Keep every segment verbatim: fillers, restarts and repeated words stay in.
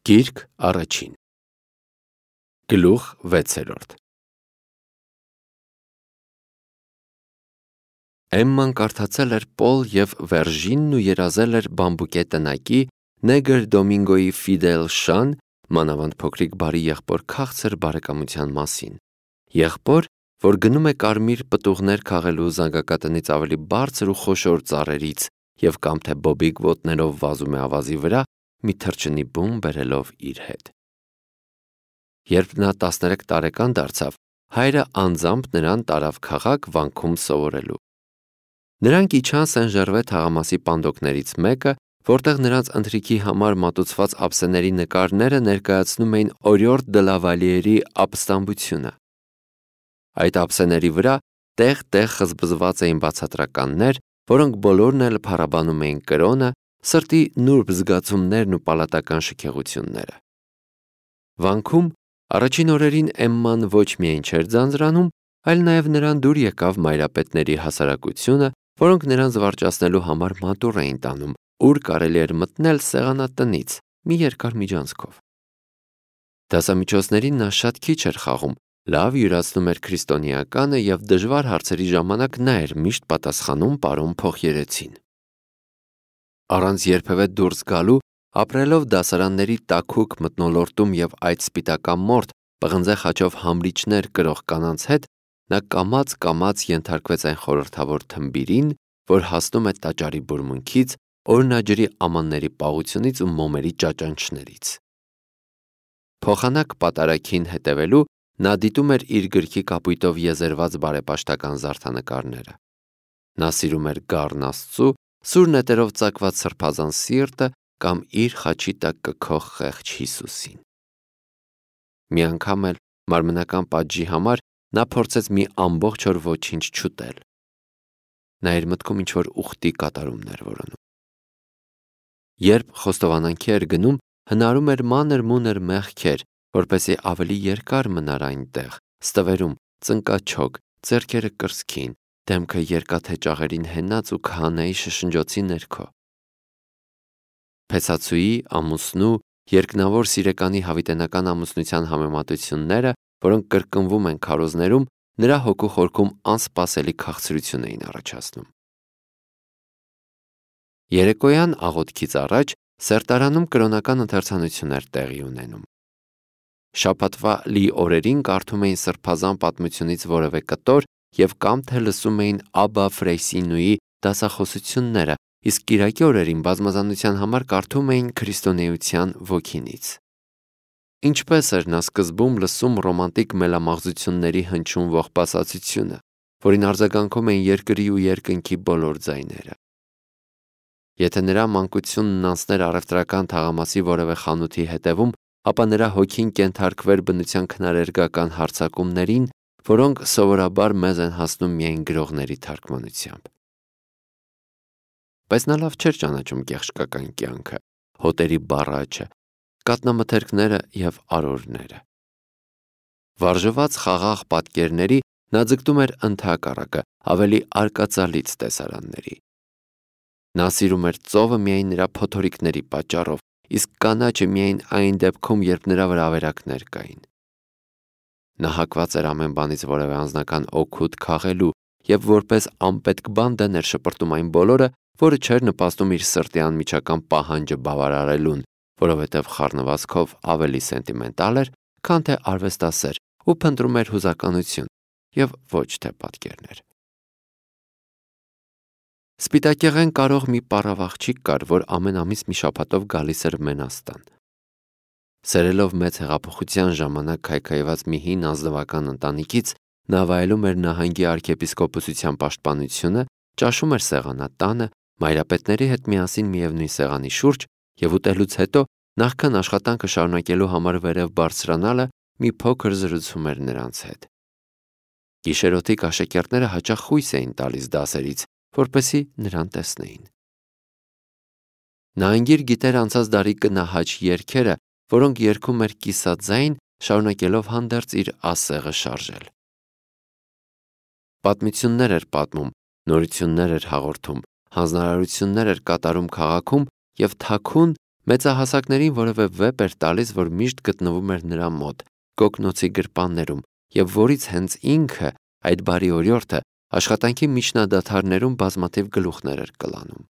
Գիրք առաջին Գլուխ վեցերորդ Էմման կարդացել էր Պոլ և Վերժինն ու երազել էր բամբուկե տնակի Նեգր Դոմինգոյի Ֆիդել Շան, մանավանդ փոքրիկ բարի եղբոր քաղցր բարեկամության մասին։ Եղբոր, որ գնում է կարմիր պտուղներ քաղելու զանգակատնից ավելի բարձր ու խոշոր ծառերից և կամ թե բոբիկ ոտներով վազում է ավազի վրա, մի թռչնի բում բերելով իր հետ։ Երբ նա տասներեք տարեկան դարձավ, հայրը անձամբ նրան տարավ քաղաք վանքում սովորելու։ Նրանք իջան Սեն-Ժերվե թաղամասի պանդոկներից մեկը, որտեղ նրանց ընթրիքի համար մատուցված ափսեների նկարները ներկայացնում էին Օրիորդ դը Լավալիերի ապստամբությունը։ Այդ ափսեների վրա տեղ-տեղ խզբզված էին բացատրականներ, որոնք բոլորն էլ փառաբանում էին կրոնը, սրտի նուրբ զգացումներն ու պալատական շքեղությունները։ Վանքում առաջին օրերին Էմման ոչ միայն չէր ձանձրանում, այլ նաև նրան դուր եկավ մայրապետների հասարակությունը, որոնք նրան զվարճացնելու համար մատուռ էին տանում, ուր կարելի էր մտնել սեղանատնից մի երկար միջանցքով։ Դասամիջոցներին նա շատ քիչ էր խաղում, լավ յուրացնում էր քրիստոնեականը և դժվար հարցերի ժամանակ նա էր միշտ պատասխանում պարոն փոխերեցին։ Առանց երբևէ դուրս գալու, ապրելով դասարանների տաքուկ մթնոլորտում և այդ սպիտակամորթ, պղնձե խաչով համրիչներ կրող կանանց հետ, նա կամաց-կամաց ենթարկվեց այն խորհրդավոր թմբիրին, որ հասնում է տաճարի բուրմունքից, օրնաջրի ամանների պաղությունից ու մոմերի ճաճանչներից։ Փոխանակ պատարագին հետևելու նա դիտում էր իր գրքի կապույտով եզերված բարեպաշտական զարդանկարները։ Նա սիրում էր գառն Աստծու, սուր նետերով ծակված սրբազան սիրտը կամ իր խաչի տակ կքող խեղճ Հիսուսին։ Մի անգամ էլ մարմնական պատժի համար նա փորձեց մի ամբողջ օր ոչինչ չուտել։ Նա իր մտքում ինչ-որ ուխտի կատարումն էր որոնում։ Երբ խոստովանանքի էր գնում, հնարում էր մանր-մունր մեղքեր, որպեսզի ավելի երկար մնար այնտեղ, ստվերում, ծնկաչոք, ձեռքերը կրծքին, դեմքը երկաթե ճաղերին հենած ու քահանայի շշնջոցի ներքո։ Փեսացուի, ամուսնու, երկնավոր սիրեկանի հավիտենական ամուսնության համեմատությունները, որոնք կրկնվում են քարոզներում, նրա հոգու խորքում անսպասելի քաղցրություն էին առաջացնում։ Երեկոյան աղոթքից առաջ սերտարանում կրոնական ընթերցանություն էր տեղի ունենում։ Շաբաթվա լի օրերին կարդում էին սրբազան պատմությունից որևէ կտոր և կամ թե լսում էին Աբբա Ֆրեյսինուի դասախոսությունները, իսկ կիրակի օրերին բազմազանության համար կարդում էին քրիստոնեության ոգինից։ Ինչպես էր նա սկզբում լսում ռոմանտիկ մելամաղձությունների հնչյուն ողբասացությունը, որին արձագանքում էին երկրի ու երկնքի բոլոր ձայները։ Եթե նրա մանկությունն անցներ առևտրական թաղամասի որևէ խանութի հետևում, ապա նրա հոգին կենթարկվեր բնության քնարերգական հարձակումներին, որոնք սովորաբար մեզ են հասնում միայն գրողների թարգմանությամբ։ Բայց նա լավ չէր ճանաչում գեղչկական կյանքը, հոտերի բառաճը, կատնամթերքները և արորները։ Վարժված խաղաղ պատկերների նա ձգտում էր ընդհակառակը, ավելի արկածալից տեսարանների։ Նա սիրում էր ծովը միայն նրա փոթորիկների պատճառով, իսկ կանաչը միայն այն դեպքում, երբ նրա վրա ավերակներ կային։ Նա հակված էր ամեն բանից որևէ անձնական օգուտ քաղելու և որպես անպետք բան դեն էր շպրտում այն բոլորը, որը չէր նպաստում իր սրտի անմիջական պահանջը բավարարելուն, որովհետև խառնվածքով ավելի սենտիմենտալ էր, քան թե արվեստասեր ու փնտրում էր հուզականություն և ոչ թե պատկերներ։ Սպիտակեղեն կարող մի պառավ աղջիկ կար, որ ամեն ամիս մի շաբաթով գալիս էր Մենաստան։ Սերելով մեծ հեղափոխության ժամանակ քայքայված մի հին ազնվական ընտանիքից, նա վայելում էր նահանգի արքեպիսկոպոսության պաշտպանությունը, ճաշում էր սեղանատանը, մայրապետների հետ միասին միևնույն սեղանի շուրջ և ուտելուց հետո, նախքան աշխատանքը շարունակելու համար վերև բարձրանալը, մի փոքր զրուցում էր նրանց հետ։ Գիշերօթիկ աշակերտները հաճախ խույս էին տալիս դասերից, որպեսզի նրան տեսնեին։ Նա անգիր գիտեր անցած դարի կնահաճ երգերը, որոնք երգում էր կիսաձայն, շարունակելով հանդերձ իր ասեղը շարժել։ Պատմություններ էր պատմում, նորություններ էր հաղորդում, հանձնարարություններ էր կատարում քաղաքում և թաքուն, մեծահասակներին որևէ վեպ էր տալիս, որ միշտ գտնվում էր նրա մոտ, կոկնոցի գրպաններում, և որից հենց ինքը, այդ բարի օրիորդը, աշխատանքի միջնադադարներում բազմաթիվ գլուխներ էր կլանում։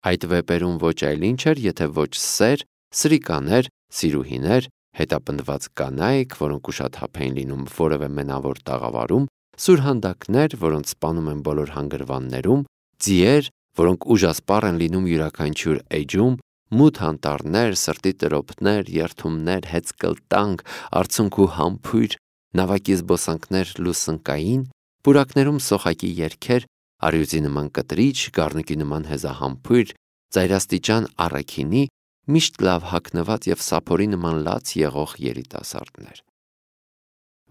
Այդ վեպերում ոչ այլ ինչ էր, եթե ոչ սեր, սրիկաներ, սիրուհիներ, հետապնդված կանայք, որոնք ուշաթափ էին լինում որևէ մենավոր տաղավարում, սուրհանդակներ, որոնց սպանում են բոլոր հանգրվաններում, ձիեր, որոնք ուժասպառ են լինում յուրաքանչյուր էջում, մութ անտառներ, սրտի տրոփներ, երդումներ, հեծկլտանք, արցունք ու համբույր, նավակի զբոսանքներ լուսնկային, պուրակներում սոխակի երգեր, արյուծի նման կտրիչ, գառնուկի նման հեզահամբույր, ծայրաստիճան առաքինի, միշտ լավ հագնված և սափորի նման լաց եղող երիտասարդներ։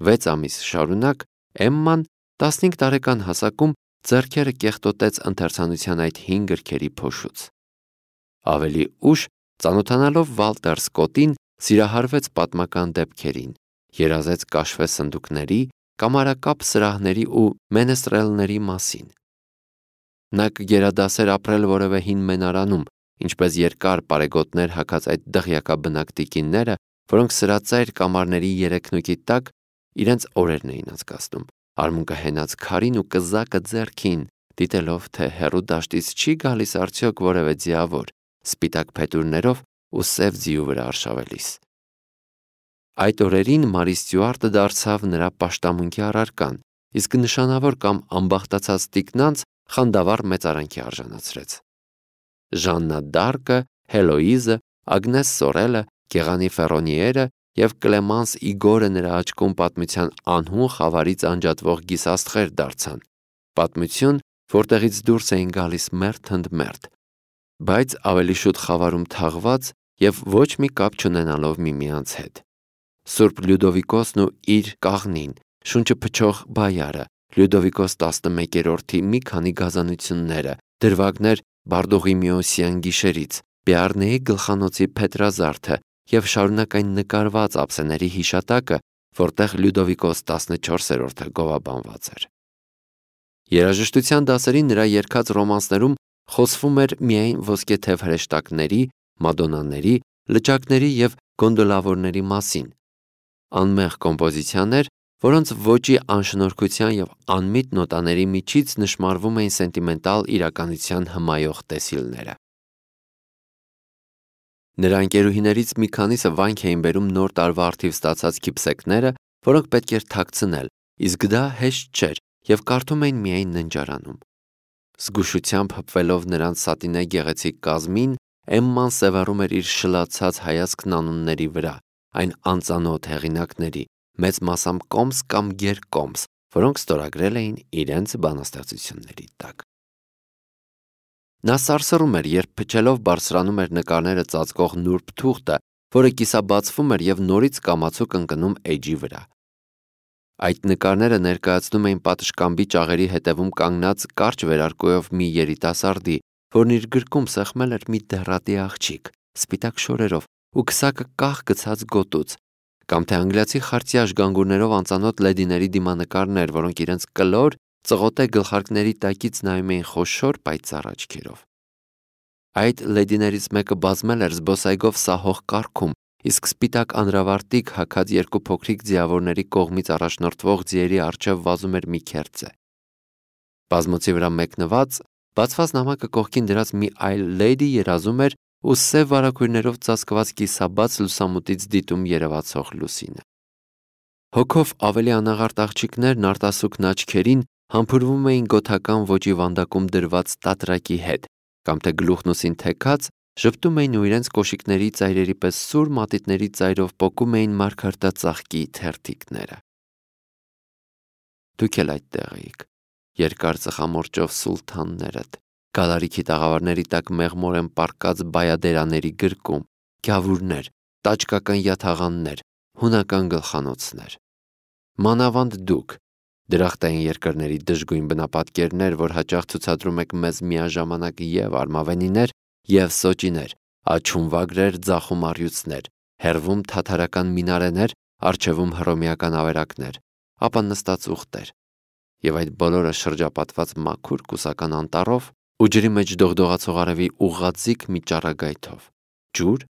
Վեց ամիս շարունակ Էմման տասնհինգ տարեկան հասակում ձեռքերը կեղտոտեց ընթերցանության այդ հին գրքերի փոշուց։ Ավելի ուշ, ծանոթանալով Վալտեր Սկոտտին, սիրահարվեց պատմական դեպքերին, երազեց կաշվե սնդուկների, կամարակապ սրահների ու մենեստրելների մասին։ Նա կգերադասեր ապրել որևէ հին մենարանում, ինչպես երկար պարեգոտներ հագած այդ դղյակաբնակ տիկինները, որոնք սրածայր կամարների երեքնուկի տակ իրենց օրերն էին անցկացնում, արմունկը հենած քարին ու կզակը ձեռքին, դիտելով, թե հեռու դաշտից չի գալիս արդյոք որևէ ձիավոր, սպիտակ փետուրներով ու սև ձիու վրա արշավելիս։ Այդ օրերին Մարի Ստյուարտը դարձավ նրա պաշտամունքի առարկան, իսկ նշանավոր կամ ամբախտացած տիկնանց խանդավառ մեծարանքի արժանացրեց։ Ժաննա Դարկը, Հելոիզը, Ագնես Սորելը, Գեղանի Ֆերոնիերը և Կլեմանս Իգորը նրա աչքում պատմության անհուն խավարից անջատվող գիսաստղեր դարձան, պատմություն, որտեղից դուրս էին գալիս մերթ ընդ մերթ, բայց ավելի շուտ խավարում թաղված և ոչ մի կապ չունենալով միմյանց հետ։ Սուրբ Լյուդովիկոսն ու իր կաղնին, շունչը փչող բայարը, Լյուդովիկոս տասնմեկերորդի մի քանի գազանությունները, դրվագներ Բարդուղիմեոսյան գիշերից, Բեառնեի գլխանոցի փետրազարդը և շարունակ այն նկարված ափսեների հիշատակը, որտեղ Լյուդովիկոս տասնչորսերորդը գովաբանված էր։ Երաժշտության դասերին նրա երգած ռոմանսներում խոսվում էր միայն ոսկեթև հրեշտակների, մադոննաների, լճակների և գոնդոլավորների մասին, անմեղ կոմպոզիցիաներ, որոնց ոճի անշնորհքության և անմիտ նոտաների միջից նշմարվում էին սենտիմենտալ իրականության հմայող տեսիլները։ Նրա ընկերուհիներից մի քանիսը վանք էին բերում նոր տարվա առթիվ ստացած քիփսեքները, որոնք պետք էր թաքցնել, իսկ դա հեշտ չէր և կարդում էին միայն ննջարանում։ Զգուշությամբ հպվելով նրանց սատինե գեղեցիկ կազմին, Էմման սևեռում էր իր շլացած հայացքն անունների վրա, այն անծանոթ հեղինակների, մեծ մասամբ կոմս կամ գերկոմս, որոնք ստորագրել էին իրենց բանաստեղծությունների տակ։ Նա սարսռում էր, երբ փչելով բարձրանում էր նկարները ծածկող նուրբ թուղթը, որը կիսաբացվում էր և նորից կամացուկ ընկնում էջի վրա։ Այդ նկարները ներկայացնում էին պատշգամբի ճաղերի հետևում կանգնած կարճ վերարկուով մի երիտասարդի, որն իր գրկում սեղմել էր մի դեղրատի աղջիկ, սպիտակ շորերով ու քսակը կախ գցած գոտուց, կամ թե անգլիացի խարտյաշ գանգուրներով անծանոթ լեդիների դիմանկարներ, որոնք իրենց կլոր, ծղոտե գլխարկների տակից նայում էին խոշոր պայծառ աչքերով։ Այդ լեդիներից մեկը բազմել էր զբոսայգով սահող կառքում, իսկ սպիտակ անրավարտիք հագած երկու փոքրիկ ձիավորների կողմից առաջնորդվող ձիերի առջև վազում էր մի քերծե։ Բազմոցի վրա մեկնված, բացված նամակը կողքին դրած մի այլ լեդի երազում էր ու սև վարագույրներով ծածկված կիսաբաց լուսամուտից դիտում երևացող լուսինը։ Հոգով ավելի անաղարտ աղջիկներն արտասուքն աչքերին համբուրվում էին գոթական ոճի վանդակում դրված տատրակի հետ, կամ թե գլուխն ուսին թեքած ժպտում էին ու իրենց կոշիկների ծայրերի պես սուր մատիտների ծայրով պոկում էին մարգարտածաղկի թերթիկները։ Դուք էլ այդտեղ էիք, երկար ծխամորճով սուլթաններդ, գալարիքի տաղավարների տակ մեղմորեն պառկած բայադերաների գրկում, գյավուրներ, տաճկական յաթաղաններ, հունական գլխանոցներ։ Մանավանդ դուք, դրախտային երկրների դժգույն բնապատկերներ, որ հաճախ ցուցադրում եք մեզ միաժամանակ և արմավենիներ, և սոճիներ, աչում վագրեր, ձախում առյուծներ, հեռվում թաթարական մինարեներ, առջևում հռոմեական ավերակներ, ապա նստած ուղտեր, և այդ բոլորը շրջապատված մաքուր կուսական անտառով, ու ջրի մեջ դողդողացող արևի ուղղաձիգ մի ճառագայթով, ջուր,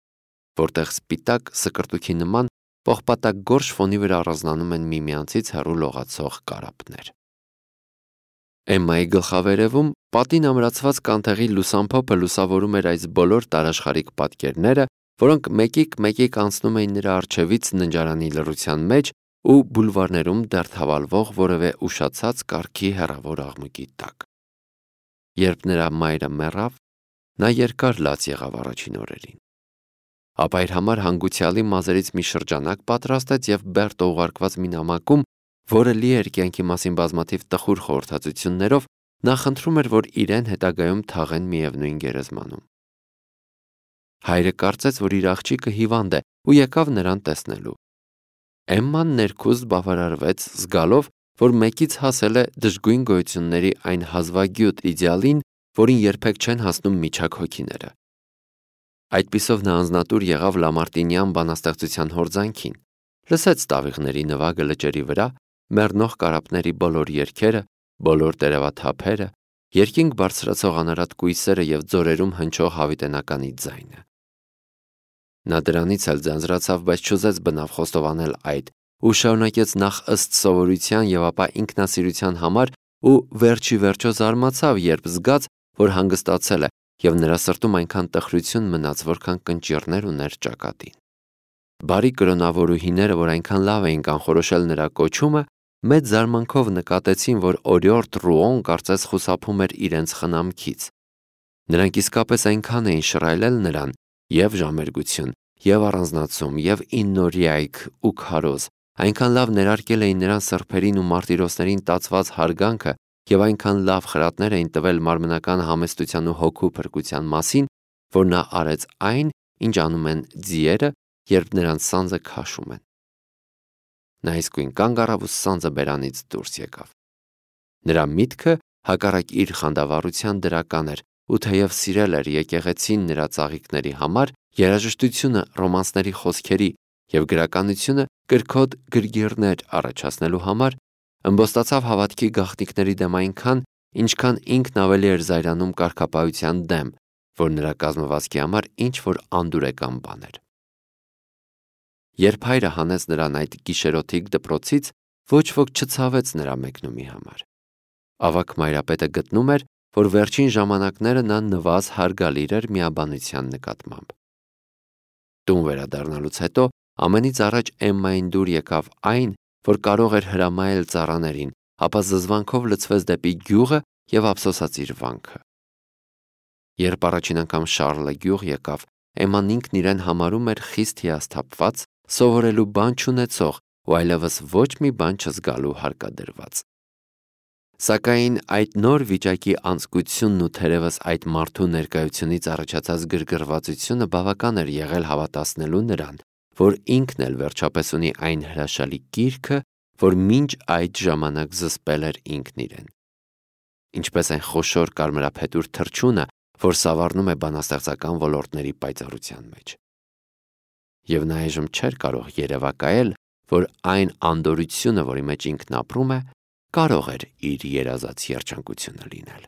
որտեղ սպիտակ սկրտուքի նման պողպատակ գորշ ֆոնի վրա առանձնանում են միմյանցից հեռու լողացող կարապներ։ Էմմայի գլխավերևում պատին ամրացված կանթեղի լուսամփոփը լուսավորում էր այս բոլոր տարաշխարհիկ պատկերները, որոնք մեկիկ-մեկիկ անցնում էին նրա առջևից ննջարանի լռության մեջ ու բուլվարներում դեռ թավալվող որևէ ուշացած կարգի հեռավոր աղմուկի տակ։ Երբ նրա մայրը մեռավ, նա երկար լաց եղավ առաջին օրերին։ Ապա իր համար հանգուցյալի մազերից մի շրջանակ պատրաստեց եւ Բերտը ուղարկված մի նամակում, որը լի էր կյանքի մասին բազմաթիվ տխուր խորհրդածություններով, նա խնդրում էր, որ իրեն հետագայում թաղեն միևնույն գերեզմանում։ Հայրը կարծեց, որ իր աղջիկը հիվանդ է ու եկավ նրան տեսնելու։ Էմման ներքուստ բավարարվեց, զգալով, որ մեկից հասել է դժգույն գոյությունների այն հազվագյուտ իդեալին, որին երբեք չեն հասնում միջակ հոգիները։ Այդպիսով նա անձնատուր եղավ Լամարտինյան բանաստեղծության հորձանքին, լսեց տավիղների նվագը լճերի վրա, մեռնող կարապների բոլոր երգերը, բոլոր տերևաթափերը, երկինք բարձրացող անարատ կույսերը եւ ձորերում հնչող հավիտենականի ձայնը։ Նա դրանից էլ ձանձրացավ, բայց չուզեց բնավ խոստովանել այդ ու շարունակեց նախ ըստ սովորության եւ ապա ինքնասիրության համար ու վերջի վերջո զարմացավ, երբ զգաց, որ հանգստացել է եւ նրա սրտում այնքան տխրություն մնաց, որքան կնճիռներ ուներ ճակատին։ Բարի կրոնավորուհիները, որ այնքան լավ էին կանխորոշել նրա կոչումը, մեծ զարմանքով նկատեցին, որ օրիորդ Ռուոն կարծես խուսափում էր իրենց խնամքից։ Նրանք իսկապես այնքան էին շռայլել նրան եւ ժամերգություն, եւ առանձնացում, եւ իննորիայք ու քարոզ, այնքան լավ ներարկել էին նրան սրբերին ու մարտիրոսներին տածված հարգանքը եւ այնքան լավ խրատներ էին տվել մարմնական համեստության ու հոգու փրկության մասին, որ նա արեց այն, ինչ անում են ձիերը, երբ նրանց սանձը քաշում են։ Նա իսկույն կանգ առավ ու սանձը բերանից դուրս եկավ։ Նրա միտքը հակառակ իր խանդավառության դրական էր, ու թեև սիրել էր եկեղեցին նրա ծաղիկների համար, երաժշտությունը ռոմանսների խոսքերի եւ գրականությունը կրքոտ գրգիռներ առաջացնելու համար, ըմբոստացավ հավատքի գաղտնիքների դեմ այնքան, ինչքան ինքն ավելի էր զայրանում կարգապահության դեմ, որ նրա կազմվածքի համար ինչ որ անդուրեկան բան էր։ Երբ հայրը հանեց նրան այդ գիշերօթիկ դպրոցից, ոչ ոք չցավեց նրա մեկնումի համար։ Ավագ մայրապետը գտնում էր, որ վերջին ժամանակները նա նվազ հարգալիր էր միաբանության նկատմամբ։ Տուն վերադառնալուց հետո ամենից առաջ Էմմային դուր եկավ այն, որ կարող էր հրամայել ծառաներին, ապա զզվանքով լցվեց դեպի գյուղը եւ ափսոսաց իր վանքը։ Երբ առաջին անգամ Շառլը գյուղ եկավ, Էմման ինքն իրեն համարում էր խիստ հիասթափված, սովորելու բան չունեցող ու այլևս ոչ մի բան չզգալու հարկադրված։ Սակայն այդ նոր վիճակի անձկությունն ու թերևս այդ մարդու ներկայությունից առաջացած գրգռվածությունը բավական էր եղել հավատացնելու նրան, որ ինքն էլ վերջապես ունի այն հրաշալի կիրքը, որ մինչ այդ ժամանակ զսպել էր ինքն իրեն։ Ինչպես այն խոշոր կարմրափետուր թռչունը, որ սավառնում է բանաստեղծական ոլորտների պայծառության մեջ։ Եվ նա այժմ չէր կարող երևակայել, որ այն անդորությունը, որի մեջ ինքն ապրում է, կարող էր իր երազած երջանկությունը լինել։